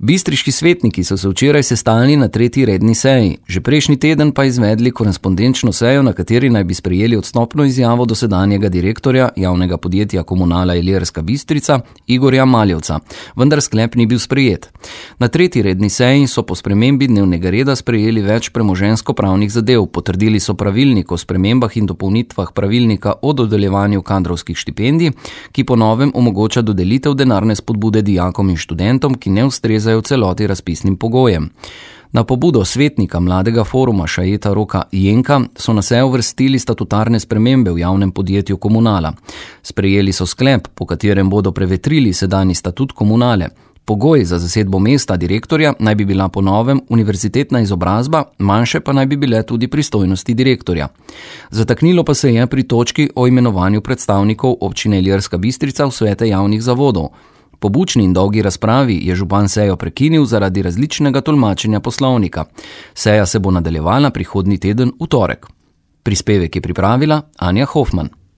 Bistriški svetniki so se včeraj sestali na 3. redni seji, že prejšnji teden pa izvedli korespondenčno sejo, na kateri naj bi sprejeli odstopno izjavo dosedanjega direktorja javnega podjetja Komunala Ilirska Bistrica Igorja Maljevca, vendar sklep ni bil sprejet. Na 3. redni seji so po spremembi dnevnega reda sprejeli več premoženjsko-pravnih zadev, potrdili so pravilnik o spremembah in dopolnitvah pravilnika o dodeljevanju kadrovskih štipendij, ki po novem omogoča dodelitev denarne spodbude dijakom in študentom, ki ne ustrezajo v celoti razpisnim pogojem. Na pobudo svetnika mladega foruma Šajeta Roka Jenka so na sejo uvrstili statutarne spremembe v javnem podjetju Komunala. Sprejeli so sklep, po katerem bodo prevetrili sedanji statut Komunale. Pogoj za zasedbo mesta direktorja naj bi bila po novem univerzitetna izobrazba, manjše pa naj bi bile tudi pristojnosti direktorja. Zataknilo pa se je pri točki o imenovanju predstavnikov občine Ilirska Bistrica v svete javnih zavodov. Po bučni in dolgi razpravi je župan sejo prekinil zaradi različnega tolmačenja poslovnika. Seja se bo nadaljevala prihodnji teden v torek. Prispevek je pripravila Anja Hofman.